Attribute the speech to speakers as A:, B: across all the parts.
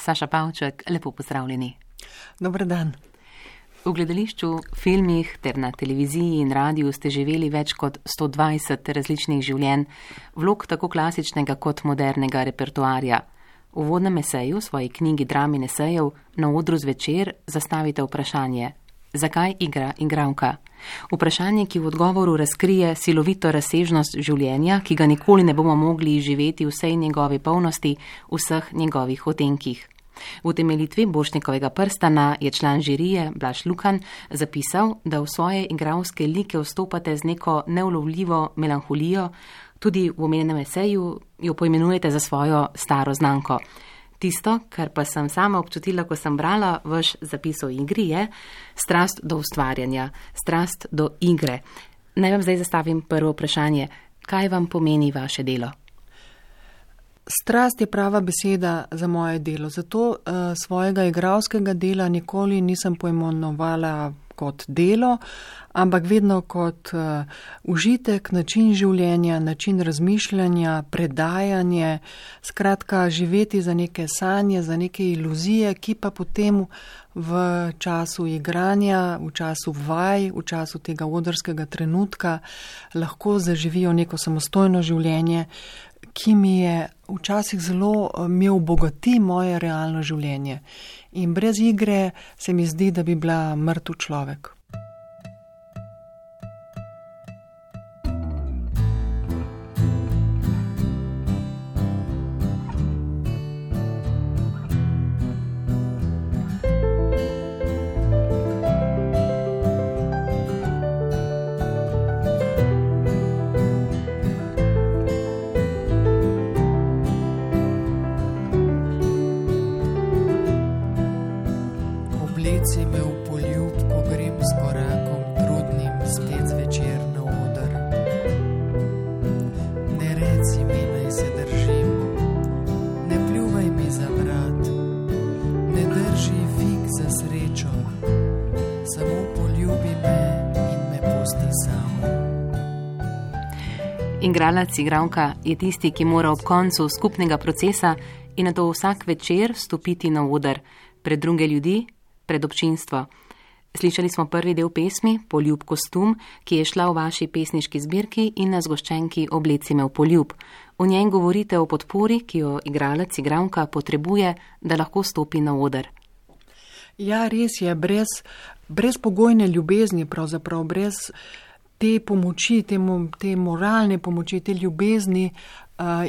A: Saša Pavček, lepo pozdravljeni.
B: Dober dan.
A: V gledališču, filmih ter na televiziji in radiju ste živeli več kot 120 različnih življenj, vlog tako klasičnega kot modernega repertoarja. V uvodnem eseju, v svoji knjigi Drami in esejev, na odru zvečer zastavite vprašanje: zakaj igra igralka? Vprašanje, ki v odgovoru razkrije silovito razsežnost življenja, ki ga nikoli ne bomo mogli živeti v vsej njegovi polnosti, v vseh njegovih otenkih. V utemeljitvi Borštnikovega prstana je član žirije Blaž Lukan zapisal, da v svoje igralske like vstopate z neko neulovljivo melanholijo, tudi v omenjenem eseju jo poimenujete za svojo staro znamko. Tisto, kar pa sem sama občutila, ko sem brala vaš zapis o igri, je strast do ustvarjanja, strast do igre. Naj vam zdaj zastavim prvo vprašanje. Kaj vam pomeni vaše delo?
B: Strast je prava beseda za moje delo, zato svojega igralskega dela nikoli nisem poimenovala kot delo, ampak vedno kot užitek, način življenja, način razmišljanja, predajanje, skratka živeti za neke sanje, za neke iluzije, ki pa potem v času igranja, v času vaj, v času tega odrskega trenutka lahko zaživijo neko samostojno življenje, ki mi je včasih zelo mi obogati moje realno življenje. In brez igre se mi zdi, da bi bila mrtev človek.
C: Obleci me v poljub, ko grem s korakom trudnim spet zvečer na oder. Ne reci mi, naj se držim, ne pljuvaj mi za vrat, ne drži fig za srečo, samo poljubi me in me pusti samo.
A: Igralec, igralka je tisti, ki mora ob koncu skupnega procesa in nato vsak večer stopiti na oder pred druge ljudi, pred občinstvo. Slišali smo prvi del pesmi Poljub kostum, ki je šla v vaši pesniški zbirki in na zgoščenki Obleci me v poljub. V njej govorite o podpori, ki jo igralec, igralka potrebuje, da lahko stopi na oder.
B: Ja, res je, brez pogojne ljubezni, pravzaprav brez te pomoči, te moralne pomoči, te ljubezni,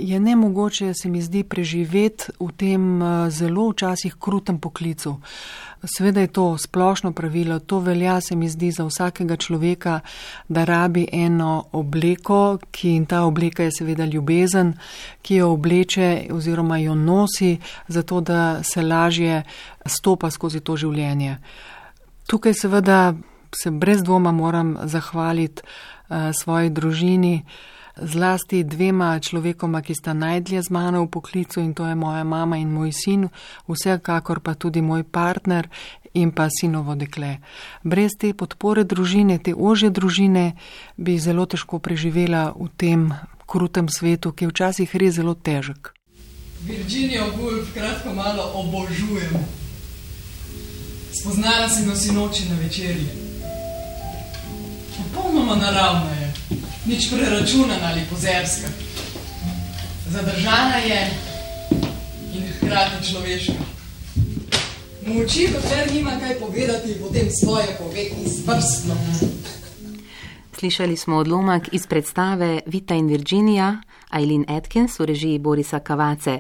B: je nemogoče, se mi zdi, preživeti v tem zelo včasih krutem poklicu. Seveda je to splošno pravilo, to velja, se mi zdi, za vsakega človeka, da rabi eno obleko, in ta obleka je seveda ljubezen, ki jo obleče oziroma jo nosi, zato da se lažje stopa skozi to življenje. Tukaj seveda se brez dvoma moram zahvaliti svoji družini, zlasti dvema človekoma, ki sta najdlje z mano v poklicu, in to je moja mama in moj sin, vsekakor pa tudi moj partner in pa sinovo dekle. Brez te podpore družine, te ožje družine, bi zelo težko preživela v tem krutem svetu, ki je včasih res zelo težek.
D: Virginijo Woolf kratko malo obožujem. Spoznala sem jo sinoči na večerji. Popolnoma naravna je. Nič preračunana ali pozerska. Zadržana je in hkrati človeška. Moči, dokler nima kaj povedati, potem svoje pove izvrstno.
A: Slišali smo odlomek iz predstave Vita in Virginia, Eileen Atkins v režiji Borisa Cavazze.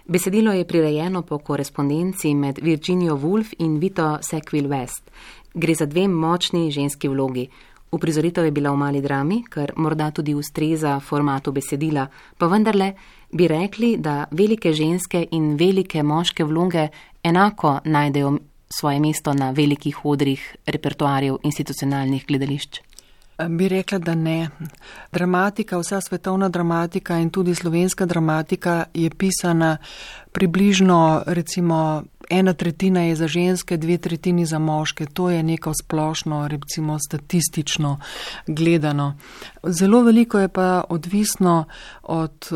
A: Besedilo je prirejeno po korespondenci med Virginijo Woolf in Vito Sackville-West. Gre za dve močni ženski vlogi. Uprizoritev je bila v mali drami, kar morda tudi ustreza formatu besedila, pa vendarle bi rekli, da velike ženske in velike moške vloge enako najdejo svoje mesto na velikih odrih repertoarjev institucionalnih gledališč.
B: Bi rekla, da ne. Dramatika, vsa svetovna dramatika in tudi slovenska dramatika je pisana približno, recimo, 1/3 je za ženske, 2/3 za moške. To je neko splošno, recimo statistično gledano. Zelo veliko je pa odvisno od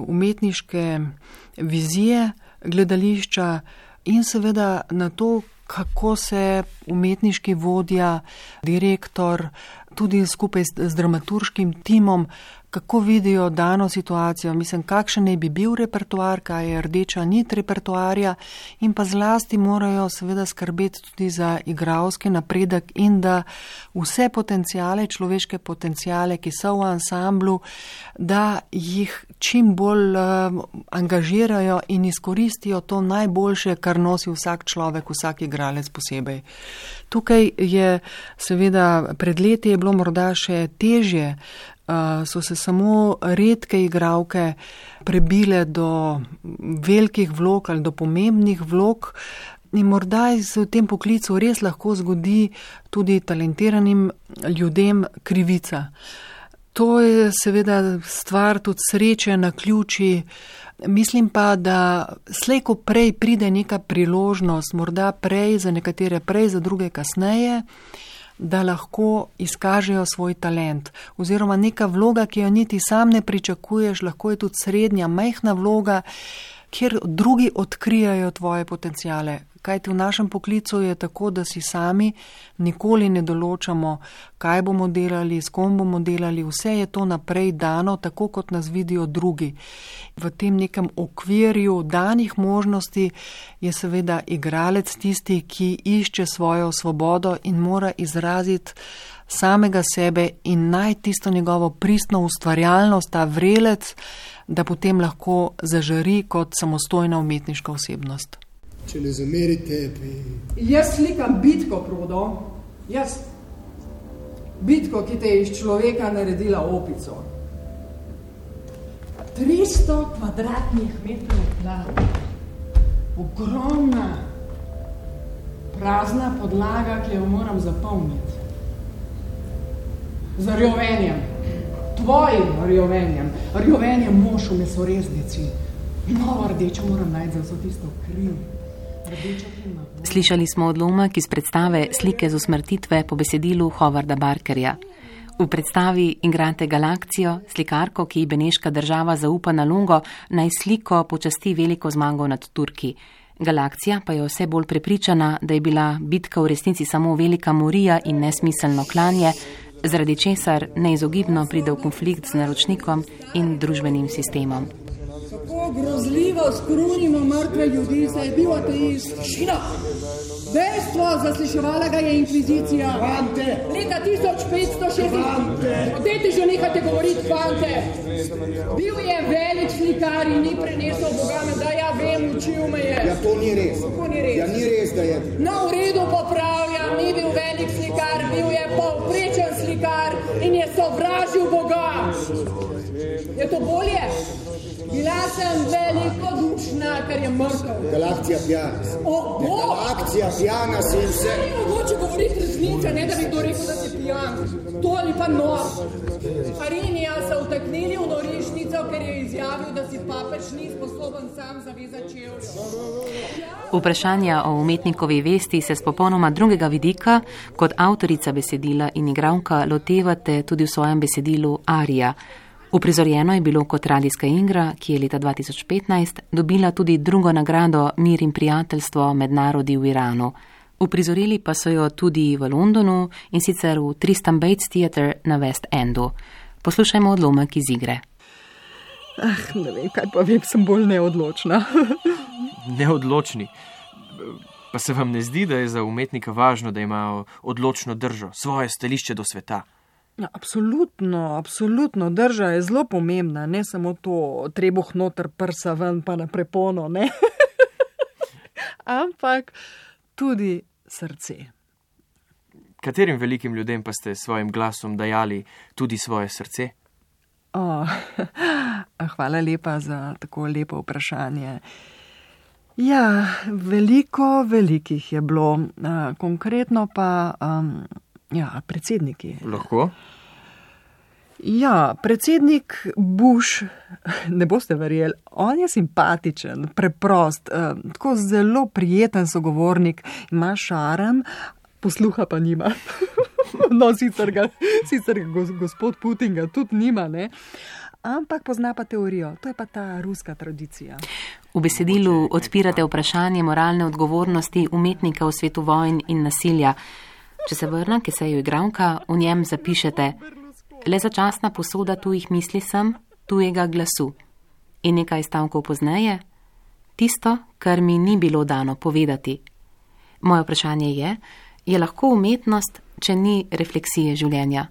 B: umetniške vizije gledališča, in seveda na to, kako se umetniški vodja, direktor, tudi skupaj z dramaturškim timom, kako vidijo dano situacijo. Mislim, kakšen naj bi bil repertoar, kaj je rdeča nit repertoarja, in pa zlasti morajo seveda skrbeti tudi za igralski napredek in da vse potencijale, človeške potencijale, ki so v ansamblu, da jih čim bolj angažirajo in izkoristijo to najboljše, kar nosi vsak človek, vsak igralec posebej. Tukaj je seveda pred leti je bilo morda še težje, so se samo redke igralke prebile do velikih vlog ali do pomembnih vlog in morda se v tem poklicu res lahko zgodi tudi talentiranim ljudem krivica. To je seveda stvar tudi sreče, naključij. Mislim pa, da slej ko prej pride neka priložnost, morda prej, za nekatere prej, za druge kasneje, da lahko izkažejo svoj talent. Oziroma neka vloga, ki jo niti sam ne pričakuješ, lahko je tudi srednja, majhna vloga, kjer drugi odkrijajo tvoje potencijale. Kajti v našem poklicu je tako, da si sami nikoli ne določamo, kaj bomo delali, s kom bomo delali, vse je to naprej dano, tako kot nas vidijo drugi. V tem nekem okvirju danih možnosti je seveda igralec tisti, ki išče svojo svobodo in mora izraziti samega sebe in najti tisto njegovo pristno ustvarjalnost, ta vrelec, da potem lahko zažari kot samostojna umetniška osebnost.
E: Če ne zamerite,
D: Jaz slikam bitko, Prodo. Jaz. Bitko, ki te je iz človeka naredila opico. 300 kvadratnih metrov tla. Ogromna, prazna podlaga, ki jo moram zapolniti. Z rjovenjem. Tvojim rjovenjem. Rjovenjem mož v mesoreznici. Novo rdečo moram najti za vso tisto kriv.
A: Slišali smo odlomek iz predstave Slike z usmrtitve po besedilu Howarda Barkerja. V predstavi igrate Galakcijo, slikarko, ki ji beneška država zaupa nalogo, naj sliko počasti veliko zmago nad Turki. Galakcija pa je vse bolj prepričana, da je bila bitka v resnici samo velika morija in nesmiselno klanje, zaradi česar neizogibno pride v konflikt z naročnikom in družbenim sistemom.
D: Kako grozljivo skrunimo mrtve ljudi, saj je bil ateist. Šina! Dejstvo, zasliševala ga je inkvizicija.
E: Fante!
D: Leta 1560. Dajte že nekajte govoriti, fante! Bil je velik slikar in ni prenesel Boga, da ja vem, učil me je.
E: Ja, to ni res.
D: Kako ni res?
E: Ja, ni res, da je.
D: Na uredu popravljam, ni bil velik slikar, bil je povprečen slikar in je sovražil Boga. Je to bolje? Bila sem velikodušna, ker je mrtev.
E: Galakcija pjana. Galakcija pjana si in vse.
D: Ni mogoče govoriti resnice, ne da bi kdo rekel, da si pijan. To ali pa nor. Harinija so vtaknili v norišnico, ker je izjavil, da si papež ni sposoben sam zavezati čevljev.
A: Vprašanja o umetnikovi vesti se s popolnoma drugega vidika, kot avtorica besedila in igralka, lotevate tudi v svojem besedilu Arija. Uprizorjeno je bilo kot radijska igra, ki je leta 2015 dobila tudi drugo nagrado Mir in prijateljstvo med narodi v Iranu. Uprizorili pa so jo tudi v Londonu in sicer v Tristan Bates Theatre na West Endu. Poslušajmo odlomek iz igre.
B: Ne vem, kaj pa vem, sem bolj neodločna.
F: Neodločni? Pa se vam ne zdi, da je za umetnika važno, da ima odločno držo, svoje stališče do sveta?
B: Ja, absolutno. Drža je zelo pomembna, ne samo to trebuh noter, prsa ven pa na prepono, ne? Ampak tudi srce.
F: Katerim velikim ljudem pa ste svojim glasom dajali tudi svoje srce?
B: Hvala lepa za tako lepo vprašanje. Ja, velikih je bilo. Konkretno pa predsedniki.
F: Lahko?
B: Ja, predsednik Bush, ne boste verjeli, on je simpatičen, preprost, tako zelo prijeten sogovornik, ima šarm, posluha pa nima. No, sicer ga gospod Putin ga tudi nima, ne. ampak pozna pa teorijo. To je pa ta ruska tradicija.
A: V besedilu odpirate vprašanje moralne odgovornosti umetnika v svetu vojn in nasilja. Če se vrnem k eseju Igralka, v njem zapišete: le začasna posoda tujih misli sem, tujega glasu. In nekaj stavkov pozneje: tisto, kar mi ni bilo dano povedati. Moje vprašanje je lahko umetnost, če ni refleksije življenja?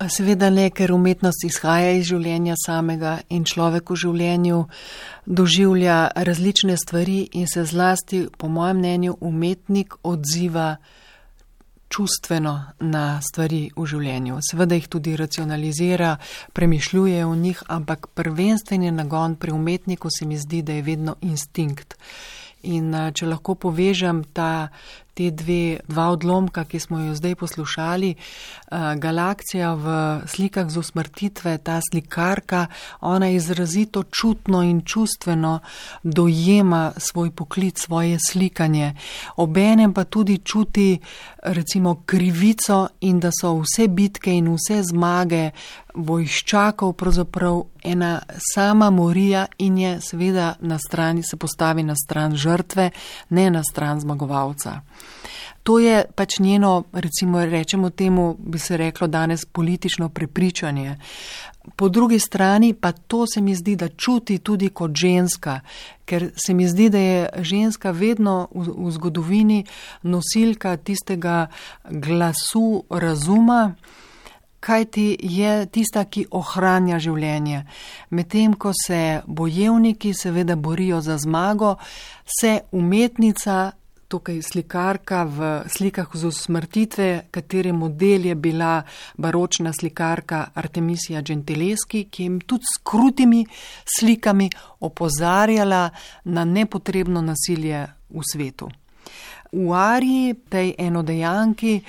B: Seveda ne, ker umetnost izhaja iz življenja samega in človek v življenju doživlja različne stvari in se zlasti, po mojem mnenju, umetnik odziva čustveno na stvari v življenju. Seveda jih tudi racionalizira, premišljuje o njih, ampak prvenstveni nagon pri umetniku se mi zdi, da je vedno instinkt. In če lahko povežem te dva odlomka, ki smo jo zdaj poslušali, Galakcija v slikah z usmrtitve, ta slikarka, ona izrazito čutno in čustveno dojema svoj poklic, svoje slikanje. Obenem pa tudi čuti recimo krivico in da so vse bitke in vse zmage vojščakov pravzaprav ena sama morija in je seveda na strani, se postavi na stran žrtve, ne na stran zmagovalca. To je pač njeno, recimo rečemo temu, bi se reklo danes, politično prepričanje. Po drugi strani pa to se mi zdi, da čuti tudi kot ženska, ker se mi zdi, da je ženska vedno v zgodovini nosilka tistega glasu razuma, kajti je tista, ki ohranja življenje. Medtem ko se bojevniki seveda borijo za zmago, se umetnica, tukaj slikarka v slikah z usmrtitve, katere model je bila baročna slikarka Artemisija Gentileschi, ki je tudi s krutimi slikami opozarjala na nepotrebno nasilje v svetu. V Ariji, tej enodejanki,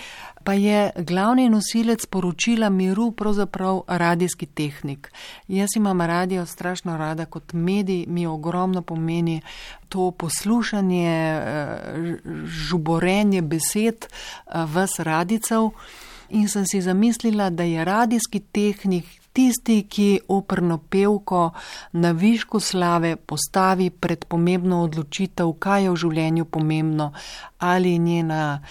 B: pa je glavni nosilec poročila miru pravzaprav radijski tehnik. Jaz imam radio strašno rada kot medij, mi ogromno pomeni to poslušanje, žuborenje besed vas radijcev in sem si zamislila, da je radijski tehnik tisti, ki operno pevko na višku slave postavi pred pomembno odločitev, kaj je v življenju pomembno, ali njena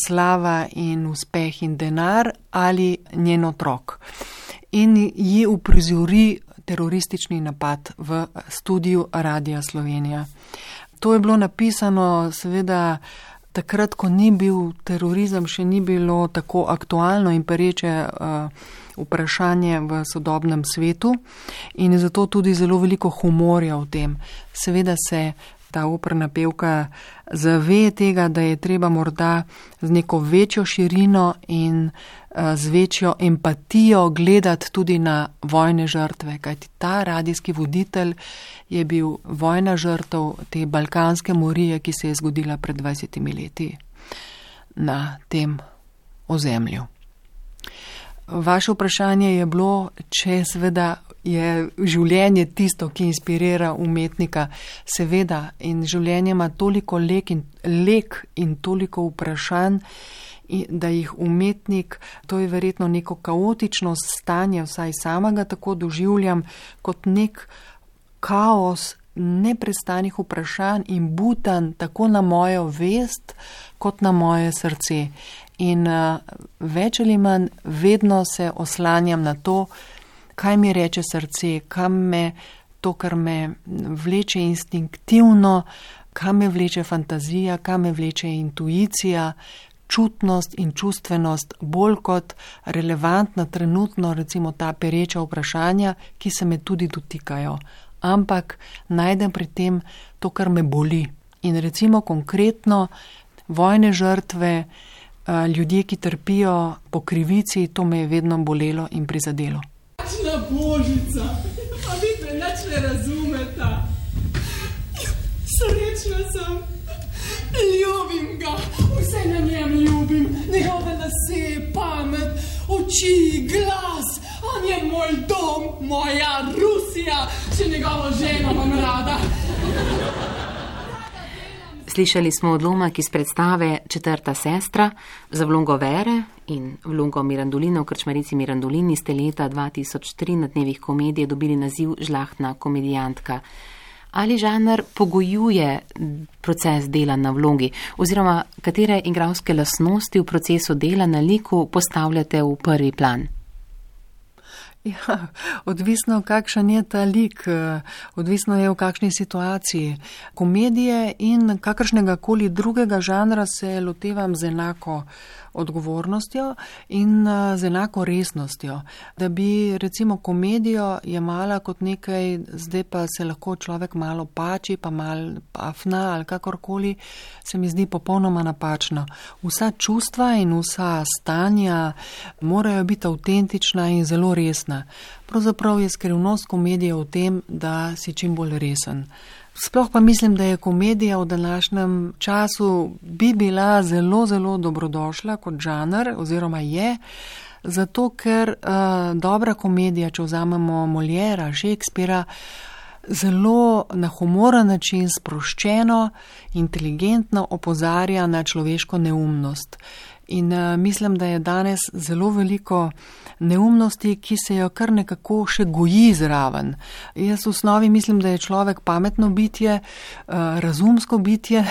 B: slava in uspeh in denar, ali njen otrok. In ji uprizori teroristični napad v studiu Radia Slovenija. To je bilo napisano seveda takrat, ko ni bil terorizem, še ni bilo tako aktualno in pereče vprašanje v sodobnem svetu in je zato tudi zelo veliko humorja v tem. Seveda se ta operna pevka zave tega, da je treba morda z neko večjo širino in z večjo empatijo gledati tudi na vojne žrtve, kajti ta radijski voditelj je bil vojna žrtev te balkanske morije, ki se je zgodila pred 20 leti na tem ozemlju. Vaše vprašanje je bilo, če seveda je življenje tisto, ki inspirira umetnika. Seveda, in življenje ima toliko lek in toliko vprašanj, da jih umetnik, to je verjetno neko kaotično stanje, vsaj samega tako doživljam, kot nek kaos neprestanih vprašanj in butanj tako na mojo vest, kot na moje srce. In več ali manj vedno se oslanjam na to, kaj mi reče srce, kam me to, kar me vleče instinktivno, kam me vleče fantazija, kam me vleče intuicija, čutnost in čustvenost, bolj kot relevantna trenutno, recimo ta pereča vprašanja, ki se me tudi dotikajo. Ampak najdem pri tem to, kar me boli. In recimo konkretno vojne žrtve, ljudje, ki trpijo po krivici, to me je vedno bolelo in prizadelo.
D: Kakšna božica, a vi me nič ne razumeta. Srečna sem, ljubim ga, vse na njem ljubim, njegove lase, pamet, oči, glas, on je moj dom, moja Rusija, še njegovo ženo imam rada.
A: Slišali smo odlomek iz predstave Četrta sestra za vlogo Vere in vlogo Mirandolina v Krčmarici Mirandolini ste leta 2003 na Dnevih komedije dobili naziv Žlahtna komedijantka. Ali žanr pogojuje proces dela na vlogi oziroma katere igralske lastnosti v procesu dela na liku postavljate v prvi plan?
B: Ja, odvisno, kakšen je ta lik, odvisno je v kakšni situaciji. Komedije in kakršnega koli drugega žanra se lotevam z enako odgovornostjo in z enako resnostjo. Da bi recimo komedijo jemala kot nekaj, zdaj pa se lahko človek malo pači, pa malo pafna ali kakorkoli, se mi zdi popolnoma napačno. Vsa čustva in vsa stanja morajo biti avtentična in zelo resna. Pravzaprav je skrivnost komedije v tem, da si čim bolj resen. Sploh pa mislim, da je komedija v današnjem času bi bila zelo, zelo dobrodošla kot žanr oziroma je, zato ker dobra komedija, če vzamemo Moliera, Shakespearea, zelo na humoren način, sproščeno, inteligentno opozarja na človeško neumnost. In mislim, da je danes zelo veliko neumnosti, ki se jo kar nekako še goji zraven. Jaz v osnovi mislim, da je človek pametno bitje, razumsko bitje,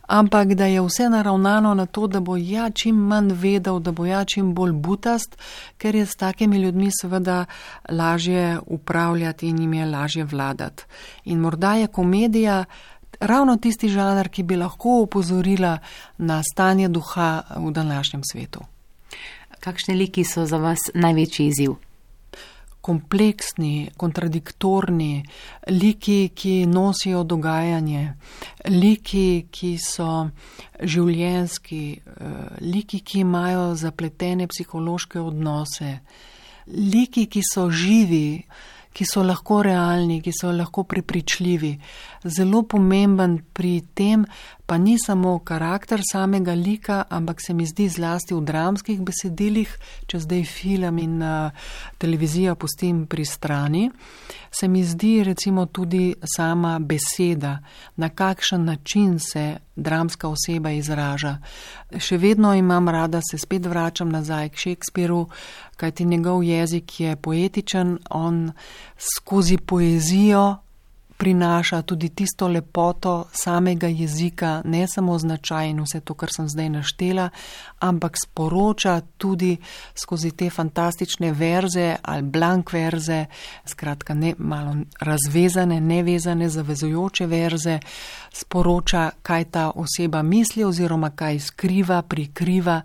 B: ampak da je vse naravnano na to, da bo čim manj vedel, da bo čim bolj butast, ker je s takimi ljudmi seveda lažje upravljati in jim je lažje vladati. In morda je komedija ravno tisti žanr, ki bi lahko opozorila na stanje duha v današnjem svetu.
A: Kakšni liki so za vas največji izziv?
B: Kompleksni, kontradiktorni, liki, ki nosijo dogajanje, liki, ki so življenjski, liki, ki imajo zapletene psihološke odnose, liki, ki so živi, ki so lahko realni, ki so lahko prepričljivi. Zelo pomemben pri tem pa ni samo karakter samega lika, ampak se mi zdi zlasti v dramskih besedilih, če zdaj film in televizija pustim pri strani, se mi zdi recimo tudi sama beseda, na kakšen način se dramska oseba izraža. Še vedno imam rada, se spet vračam nazaj k Shakespearu, kajti njegov jezik je poetičen, on skozi poezijo prinaša tudi tisto lepoto samega jezika, ne samo značaj in vse to, kar sem zdaj naštela, ampak sporoča tudi skozi te fantastične verze ali blank verze, skratka ne malo razvezane, nevezane, zavezujoče verze, sporoča, kaj ta oseba misli oziroma kaj skriva, prikriva.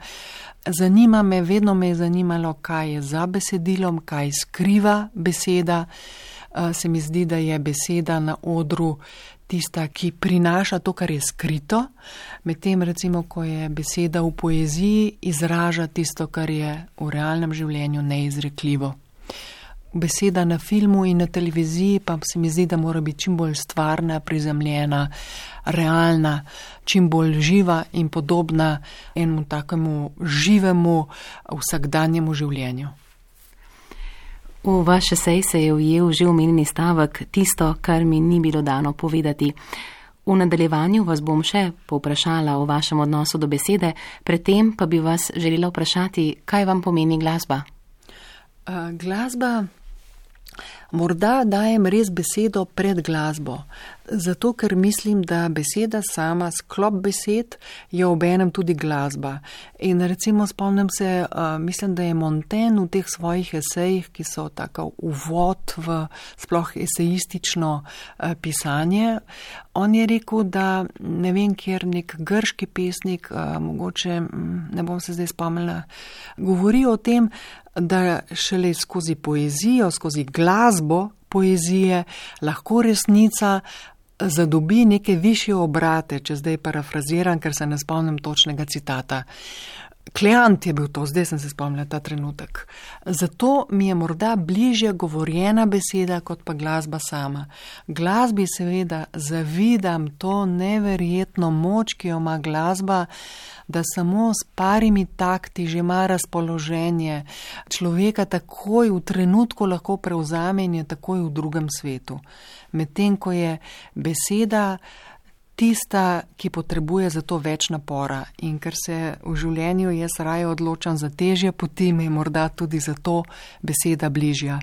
B: Zanima me, vedno me je zanimalo, kaj je za besedilom, kaj skriva beseda. Se mi zdi, da je beseda na odru tista, ki prinaša to, kar je skrito, medtem recimo, ko je beseda v poeziji, izraža tisto, kar je v realnem življenju neizrekljivo. Beseda na filmu in na televiziji pa se mi zdi, da mora biti čim bolj stvarna, prizemljena, realna, čim bolj živa in podobna enemu takemu živemu vsakdanjemu življenju.
A: V vaš esej se je ujel že omenjeni stavek tisto, kar mi ni bilo dano povedati. V nadaljevanju vas bom še povprašala o vašem odnosu do besede, predtem pa bi vas želela vprašati, kaj vam pomeni glasba?
B: Glasba, morda dajem res besedo pred glasbo, zato ker mislim, da beseda sama, sklop besed, je obenem tudi glasba. In recimo spomnim se, mislim, da je Montaigne v teh svojih esejih, ki so tako uvod v sploh esejistično pisanje, on je rekel, da ne vem, kjer nek grški pesnik, mogoče, ne bom se zdaj spomnila, govori o tem, da šele skozi poezijo, skozi glasbo poezije lahko resnica zadobi neke višje obrate, če zdaj parafraziram, ker se ne spomnim točnega citata. Kleant je bil to, zdaj sem se spomnila ta trenutek. Zato mi je morda bližje govorjena beseda kot pa glasba sama. Glasbi seveda zavidam to neverjetno moč, ki jo ima glasba, da samo s parimi takti že ima razpoloženje. Človeka takoj v trenutku lahko prevzame in je takoj v drugem svetu. Medtem ko je beseda tista, ki potrebuje za to več napora. In ker se v življenju jaz raje odločam za težje poti, mi je morda tudi zato beseda bližja.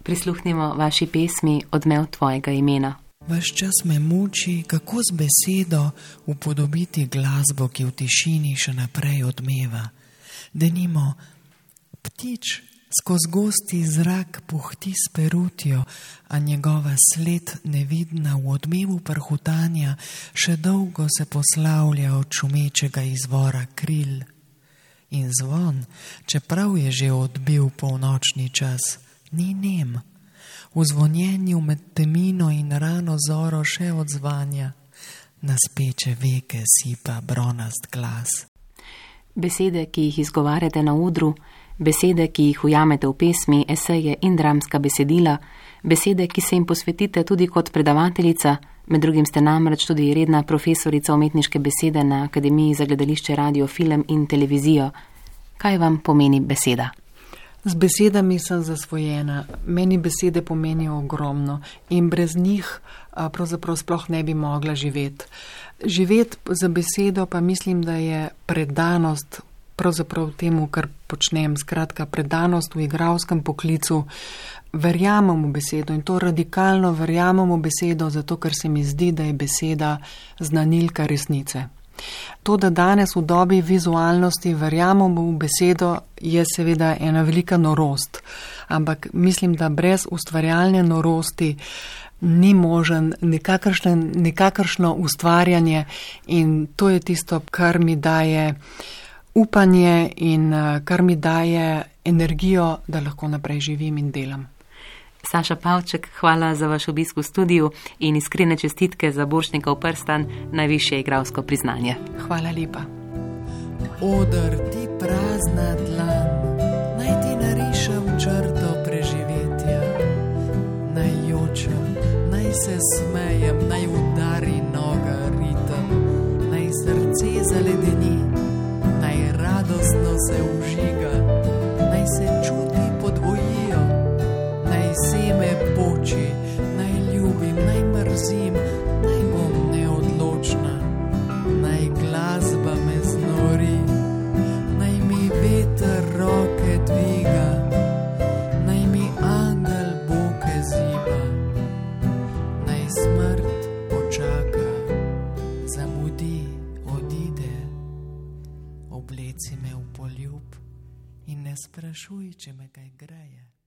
A: Prisluhnimo vaši pesmi Odmev tvojega imena.
C: Ves čas me muči, kako z besedo upodobiti glasbo, ki v tišini še naprej odmeva. Denimo, ptič skozi gosti zrak puhti s perutjo, a njegova sled nevidna v odmevu prhutanja še dolgo se poslavlja od šumečega izvora kril. In zvon, čeprav je že odbil polnočni čas, ni nem. V zvonjenju med temino in rano zoro še odzvanja, na speče veke sipa bronast glas.
A: Besede, ki jih izgovarjate na odru, besede, ki jih ujamete v pesmi, eseje in dramska besedila, besede, ki se jim posvetite tudi kot predavateljica, med drugim ste namreč tudi redna profesorica umetniške besede na Akademiji za gledališče, radio, film in televizijo. Kaj vam pomeni beseda?
B: Z besedami sem zasvojena. Meni besede pomenijo ogromno in brez njih pravzaprav sploh ne bi mogla živeti. Živeti za besedo pa mislim, da je predanost pravzaprav temu, kar počnem. Skratka, predanost v igralskem poklicu. Verjamem v besedo in to radikalno verjamem v besedo, zato ker se mi zdi, da je beseda znanilka resnice. To, da danes v dobi vizualnosti verjamemo v besedo, je seveda ena velika norost. Ampak mislim, da brez ustvarjalne norosti ni možen nikakršno ustvarjanje in to je tisto, kar mi daje upanje in kar mi daje energijo, da lahko naprej živim in delam.
A: Saša Pavček, hvala za vaš obisk v studiu in iskrene čestitke za Borštnikov prstan, najvišje igralsko priznanje.
B: Hvala lepa.
C: Oder ti prazna dlan, naj ti narišem črto preživetja. Naj jočem, naj se smejem, naj udari noga ritem, naj srce zaledeni, naj radostno se užiga, naj se čuti podvojijo, naj seme poči, naj ljubim, naj mrzim, naj bom neodločna, naj glasba me znori, naj mi veter roke dviga, naj mi angel boke ziba, naj smrt počaka, zamudi, odide, obleci me v poljub in ne sprašuj, če me kaj greje.